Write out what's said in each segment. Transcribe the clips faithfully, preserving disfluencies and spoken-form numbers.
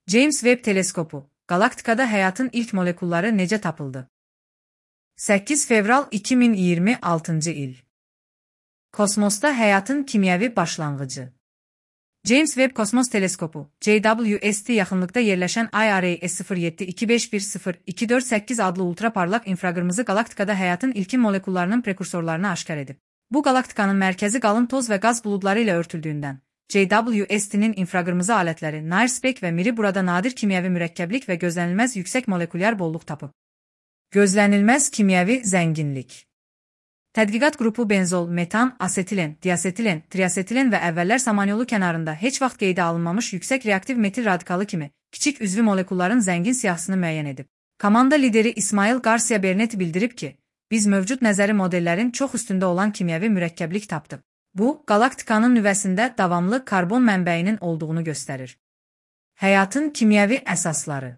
James Webb teleskopu, galaktikada həyatın ilk molekulları necə tapıldı? səkkiz fevral iki min iyirmi altıncı il. Kosmosda həyatın kimyəvi başlanğıcı. James Webb Kosmos Teleskopu, J W S T yaxınlıqda yerləşən I R A S sıfır yeddi iki beş bir sıfır iki dörd səkkiz adlı ultraparlaq infraqırmızı galaktikada həyatın ilkin molekullarının prekursorlarını aşkar edib. Bu galaktikanın mərkəzi qalın toz və qaz buludları ilə örtüldüyündən, J W S T'nin infraqırmızı alətləri NIRSpec və Miri burada nadir kimyəvi mürəkkəblik və gözlənilməz yüksək molekulyar bolluq tapıb. Gözlənilməz kimyəvi zənginlik. Tədqiqat qrupu benzol, metan, asetilen, diasetilen, triasetilen və əvvəllər samanyolu kənarında heç vaxt qeydə alınmamış yüksək reaktiv metil radikalı kimi kiçik üzvü molekulların zəngin siyahısını müəyyən edib. Komanda lideri İsmail Garcia Bernet bildirib ki, biz mövcud nəzəri modellərin çox üstündə olan kimyəvi mürəkkəblik tapdıq. Bu, galaktikanın nüvəsində davamlı karbon mənbəyinin olduğunu göstərir. Həyatın kimyəvi əsasları.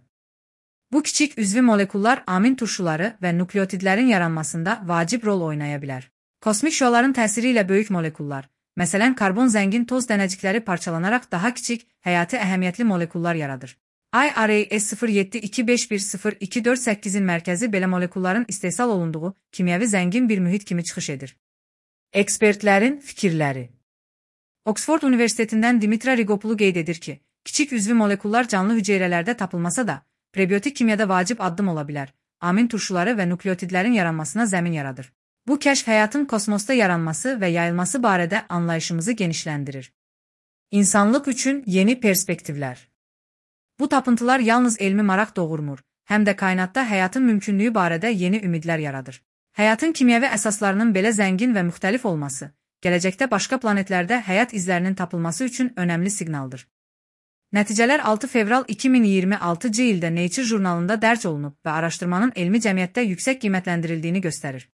Bu kiçik üzvü molekullar amin turşuları və nukleotidlərin yaranmasında vacib rol oynaya bilər. Kosmik şüaların təsiri ilə böyük molekullar, məsələn karbon zəngin toz dənəcikləri parçalanaraq daha kiçik, həyati əhəmiyyətli molekullar yaradır. I R A S sıfır yeddi iki beş bir sıfır iki dörd səkkizin mərkəzi belə molekulların istehsal olunduğu kimyəvi zəngin bir mühit kimi çıxış edir. Ekspertlərin fikirləri. Oxford Universitetindən Dimitra Rigopulu qeyd edir ki, kiçik üzvü molekullar canlı hüceyrələrdə tapılmasa da, prebiotik kimyada vacib addım ola bilər, amin turşuları və nukleotidlərin yaranmasına zəmin yaradır. Bu kəşf həyatın kosmosda yaranması və yayılması barədə anlayışımızı genişləndirir. İnsanlıq üçün yeni perspektivlər. Bu tapıntılar yalnız elmi maraq doğurmur, həm də kainatda həyatın mümkünlüyü barədə yeni ümidlər yaradır. Həyatın kimyəvi əsaslarının belə zəngin və müxtəlif olması, gələcəkdə başqa planetlərdə həyat izlərinin tapılması üçün önəmli siqnaldır. Nəticələr altı fevral iki min iyirmi altıncı ildə Nature jurnalında dərc olunub və araşdırmanın elmi cəmiyyətdə yüksək qiymətləndirildiyini göstərir.